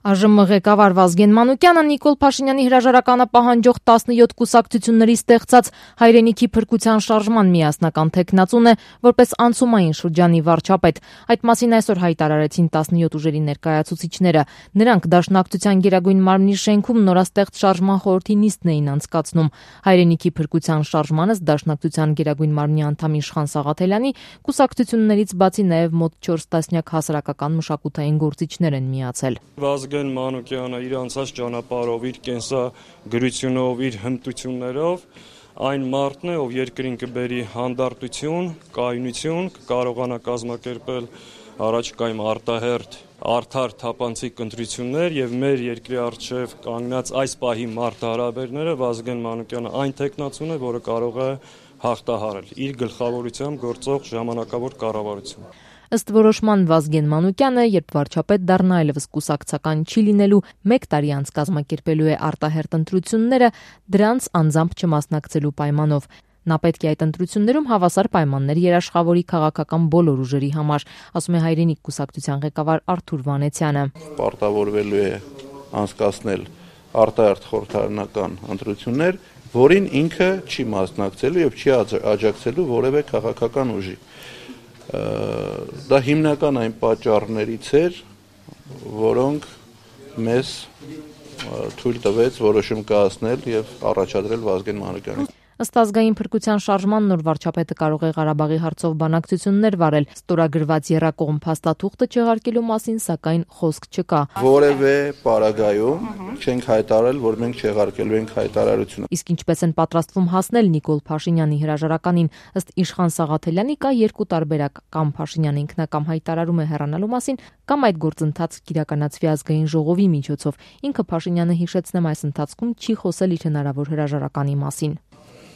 ԱԺՄ ղեկավար Վազգեն Մանուկյանը Նիկոլ Փաշինյանի հրաժարականը պահանջող 17 կուսակցությունների ստեղծած հայրենիքի փրկության շարժման միասնական թեկնածուն է, որպես անցումային շրջանի վարչապետ։ Այդ մասին այսօր հայտարարեցին 17 ուժերի ներկայացուցիչները։ Նրանք Դաշնակցության Գերագույն մարմնի շենքում նորաստեղծ շարժման խորհրդի նիստն էին անցկացնում։ Հայրենիքի փրկության շարժմանս Դաշնակցության Գերագույն մարմնի անդամ Իշխան Սաղաթելյանի կուսակցություններից բացի նաև մոտ 4 տասնյակ հասարակական մշակութային գործիչներ են միացել։ Վազգեն Մանուկյանը իր անցած ճանապարհով, իր կենսագրությունով, իր հմտություններով այն մարդն է, ով երկրին կբերի հանդարտություն, կայունություն, կկարողանա կազմակերպել առաջիկայում արտահերթ, արդար, թափանցիկ ընտրություններ եւ մեր երկրի առջեւ կանգնած այս պահի մարտահրավերները Վազգեն Մանուկյանը այն տեխնացուն է, որը կարող է հաղթահարել իր գլխավորությամբ գործող ժամանակավոր կառավարություն։ Ըստ որոշման Վազգեն Մանուկյանը, երբ վարչապետ դառնա, այլևս կուսակցական չի լինելու, 1 տարի անց կազմակերպելու է արտահերթ ընտրությունները, դրանց անձամբ չմասնակցելու պայմանով։ Նա պետք է այդ ընտրություններում հավասար պայմաններ երաշխավորի քաղաքական բոլոր ուժերի համար, ասում է Հայրենիք կուսակցության ղեկավար Արթուր Վանեցյանը։ Պարտավորվելու է անցկացնել արտահերթ խորհրդարանական ընտրություններ, որին ինքը չի մասնակցելու եւ չի աջակցելու որևէ քաղաքական ուժի։ Դա հիմնական այն պատճառներից էր, որոնք մեզ թույլ տվեց որոշում կայացնել եւ առաջադրել Վազգեն Մանուկյանին։ Ըստ ազգային փրկության շարժման նոր վարչապետը կարող է Ղարաբաղի հարցով բանակցություններ վարել, ստորագրված եռակողմ փաստաթուղթը չեղարկելու մասին, սակայն խոսք չկա։ Որևէ պարագայում չենք հայտարարել, որ մենք չեղարկելու ենք հայտարարությունը։ Իսկ ինչպես են պատրաստվում հասնել Նիկոլ Փաշինյանի հրաժարականին, ըստ Իշխան Սաղաթելյանի կա 2 տարբերակ՝ կամ Փաշինյանը ինքնակամ հայտարարում է հեռանալու մասին, կամ այդ գործընթացը կիրականացվի ազգային ժողովի միջոցով։ Ինքը Փաշինյանը, հիշեցնեմ, այս ընթացքում չի խոսել իր հնարավոր հրաժարականի մասին։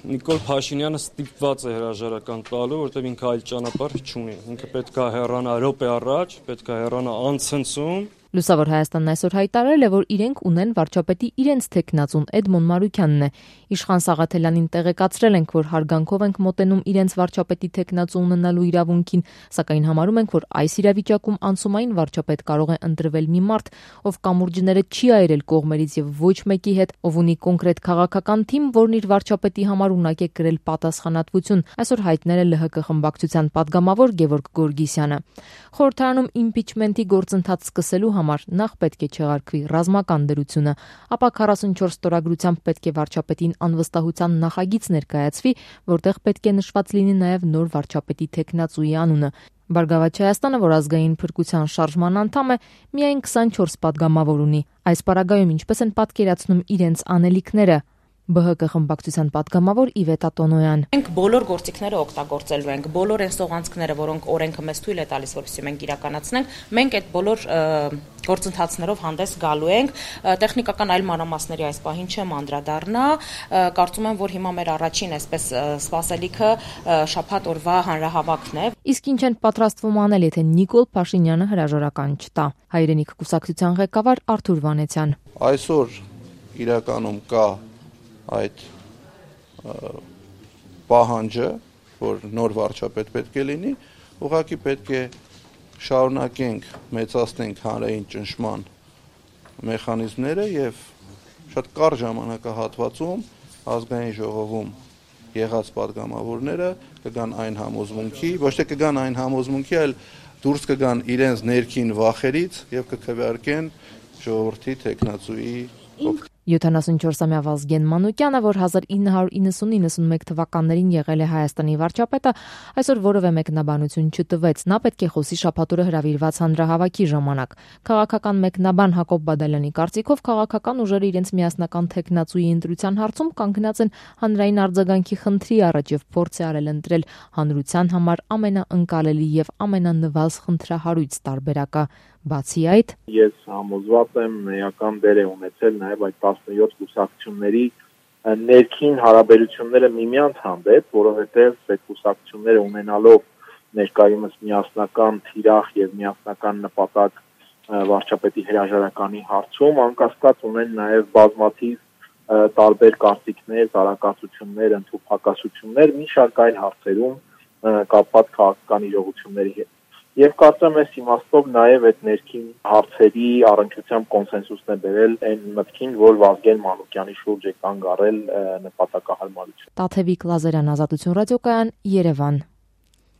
Նիկոլ Փաշինյանը ստիպված է հրաժարական տալու, որտեղ ինքը այլ ճանապարհ չունի։ Ինքը պետք է հեռանա րոպե առաջ, պետք է հեռանա անցնցում։ Լուսավոր Հայաստանն այսօր հայտարարել է, որ իրենք ունեն վարչապետի իրենց թեկնածուն Էդմոն Մարուքյանն է։ Իշխան Սաղաթելյանին տեղեկացրել ենք, որ հարգանքով ենք մոտենում իրենց վարչապետի թեկնածու ունենալու իրավունքին, սակայն համարում ենք, որ այս իրավիճակում անցումային վարչապետ կարող է ընտրվել մի մարդ, ով կամուրջները չի այրել կողմերից եւ ոչ մեկի հետ, ով ունի կոնկրետ քաղաքական թիմ, որն իր վարչապետի համար ունակ է կրել պատասխանատվություն, այսօր հայտնել է ԼՀԿ խմբակցության падգամավոր Գևորգ Գորգիսյանը։ Խորհրդարանում իմպիչմենտի գործընթաց սկսելու համար նախ պետք է չեղարկվի ռազմական դրությունը, ապա 44 ստորագրությամբ պետք է վարչապետին անվստահության նախագիծ ներկայացվի, որտեղ պետք է նշված լինի նաև նոր վարչապետի թեկնածուի անունը։ Բարգավաճ Հայաստանը, որ ազգային փրկության շարժման անդամ է, միայն 24 падգամավոր ունի։ Այս պարագայում ինչպես են պատկերացնում իրենց անելիքները, ԲՀԿ խմբակցության падգամավոր Իվետա Տոնոյան։ Մենք բոլոր գործիքները օգտագործելու ենք, բոլոր այն սողանցքները, որոնք օրենքը մեզ թույլ է տալիս, որպեսզի մենք իրականացնենք, մենք այդ բոլոր գործընթացներով հանդես գալու ենք։ Տեխնիկական այլ մանրամասների այս պահին չեմ անդրադառնա, կարծում եմ, որ հիմա մեր առաջին այսպես սպասելիքը շաբաթ օրվա հանրահավաքն է։ Իսկ ինչ են պատրաստվում անել, եթե Նիկոլ Փաշինյանը հրաժարական չտա։ Հայրենիք կուսակցության ղեկավար Արթուր Վանեցյան։ Այսօր իրականում կա այդ պահանջը, որ նոր վարչապետ պետք է լինի, ուղղակի պետք է շարունակենք, մեծացնենք հանրային ճնշման մեխանիզմները եւ շատ կարճ ժամանակահատվածում ազգային ժողովում եղած падգամավորները կգան այն համոզմունքի, ոչ թե կգան այն համոզմունքի, այլ դուրս կգան իրենց ներքին վախերից եւ կքվեարկեն ժողովրդի թեկնածուի 74-ամյա Վազգեն Մանուկյանը, որ 1990-91 թվականներին եղել է Հայաստանի վարչապետը, այսօր որևէ մեկնաբանություն չտվեց։ Նա պետք է խոսի շաբաթ օրը հրավիրված հանրահավաքի ժամանակ։ Քաղաքական մեկնաբան Հակոբ Բադալյանի կարծիքով քաղաքական ուժերը իրենց միասնական թեկնածուի ընտրության հարցում կանգնած են հանրային արձագանքի խնդրի առաջ եւ փորձ է արել ընտրել հանրության համար ամենաընկալելի եւ ամենանվազ խնդրահարույց տարբերակը։ Բացի այդ, ես համոզված եմ էական դեր է ունեցել նաև այդ 17 կուսակցությունների ներքին հարաբերությունները միմյանց հանդեպ, որովհետև այդ կուսակցությունները ունենալով ներկայումս միասնական թիրախ եւ միասնական նպատակ վարչապետի հրաժարականի հարցում, անկասկած ունեն նաև բազմաթիվ տարբեր կարծիքներ, տարակացություններ, ընդհանուր հակասություններ մի շարք այլ հարցերում կապված քաղաքական իրողությունների հետ։ Եվ կարծեմ այս իմաստով նաև այդ ներքին հարցերի առնչությամբ կոնսենսուսն է բերել այն մտքին, որ Վազգեն Մանուկյանի շուրջ է կանգ առել նպատակահարմարություն։ Տաթևիկ Լազարյան, Ազատություն ռադիոկայան, Երևան։